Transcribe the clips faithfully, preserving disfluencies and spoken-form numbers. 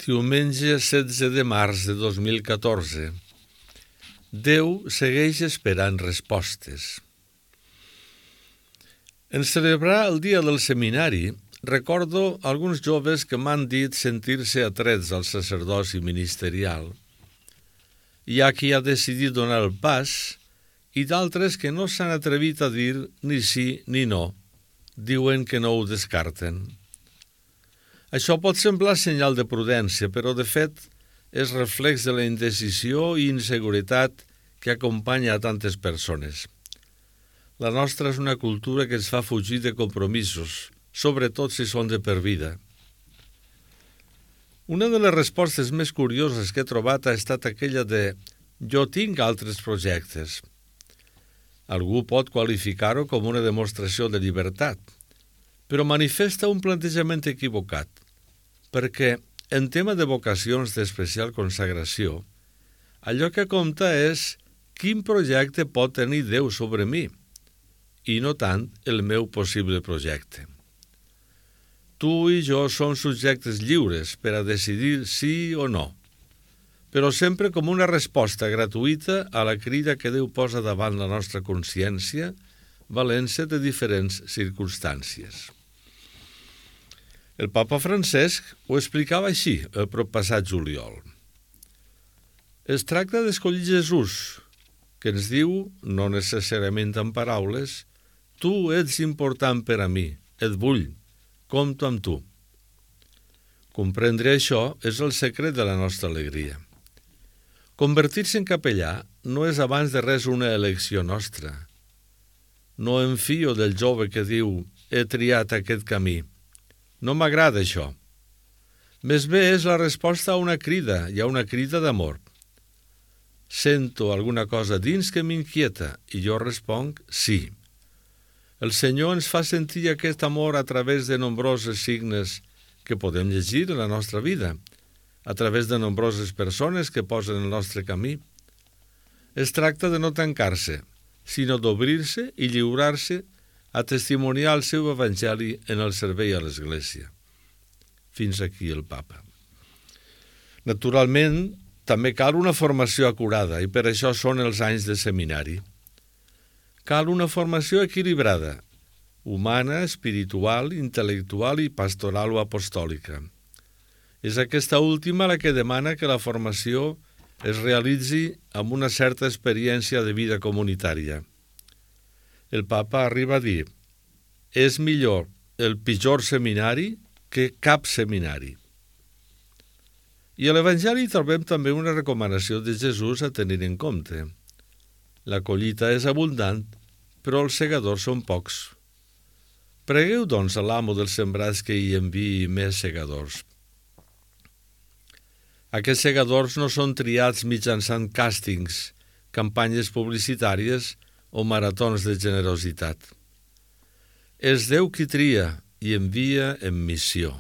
Diumenge setze de març de dos mil catorze. Déu segueix esperant respostes. En celebrar el dia del seminari, recordo alguns joves que m'han dit sentir-se atrets al sacerdoci ministerial. Hi ha qui ha decidit donar el pas i d'altres que no s'han atrevit a dir ni sí ni no. Diuen que no ho descarten. Això pot semblar senyal de prudència, però de fet és reflex de la indecisió i inseguretat que acompanya a tantes persones. La nostra és una cultura que ens fa fugir de compromisos, sobretot si són de per vida. Una de les respostes més curioses que he trobat ha estat aquella de «jo tinc altres projectes». Algú pot qualificar-ho com una demostració de llibertat, però manifesta un plantejament equivocat, perquè en tema de vocacions d'especial consagració, allò que compta és quin projecte pot tenir Déu sobre mi, i no tant el meu possible projecte. Tu i jo som subjectes lliures per a decidir sí o no, però sempre com una resposta gratuïta a la crida que Déu posa davant la nostra consciència, valent-se de diferents circumstàncies. El papa Francesc ho explicava així el proppassat juliol. Es tracta d'escollir Jesús, que ens diu, no necessàriament en paraules, tu ets important per a mi, et vull, compto amb tu. Comprendre això és el secret de la nostra alegria. Convertir-se en capellà no és abans de res una elecció nostra. No em fio del jove que diu, he triat aquest camí. No m'agrada això. Més bé és la resposta a una crida i a una crida d'amor. Sento alguna cosa dins que m'inquieta i jo responc sí. El Senyor ens fa sentir aquest amor a través de nombroses signes que podem llegir en la nostra vida, a través de nombroses persones que posen el nostre camí. Es tracta de no tancar-se, sinó d'obrir-se i lliurar-se a testimoniar el seu evangeli en el servei a l'Església. Fins aquí el papa. Naturalment, també cal una formació acurada i per això són els anys de seminari. Cal una formació equilibrada, humana, espiritual, intel·lectual i pastoral o apostòlica. És aquesta última la que demana que la formació es realitzi amb una certa experiència de vida comunitària. El papa arriba a dir, és millor el pitjor seminari que cap seminari. I a l'Evangeli trobem també una recomanació de Jesús a tenir en compte. La collita és abundant, però els segadors són pocs. Pregueu, doncs, a l'amo dels sembrats que hi enviï més segadors. Aquests segadors no són triats mitjançant càstings, campanyes publicitàries o maratons de generositat. És Déu qui tria i envia en missió.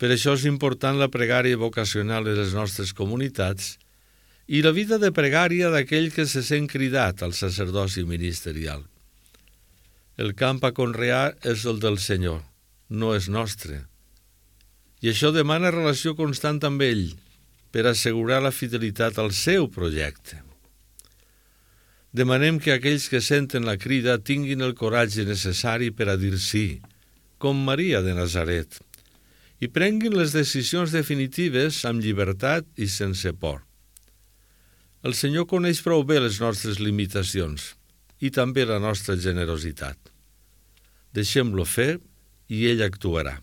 Per això és important la pregària vocacional en les nostres comunitats i la vida de pregària d'aquell que se sent cridat al sacerdoci ministerial. El camp a conrear és el del Senyor, no és nostre. I això demana relació constant amb ell per assegurar la fidelitat al seu projecte. Demanem que aquells que senten la crida tinguin el coratge necessari per a dir sí, com Maria de Nazaret, i prenguin les decisions definitives amb llibertat i sense por. El Senyor coneix prou bé les nostres limitacions i també la nostra generositat. Deixem-lo fer i ell actuarà.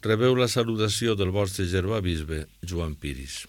Rebeu la salutació del vostre germà bisbe, Joan Piris.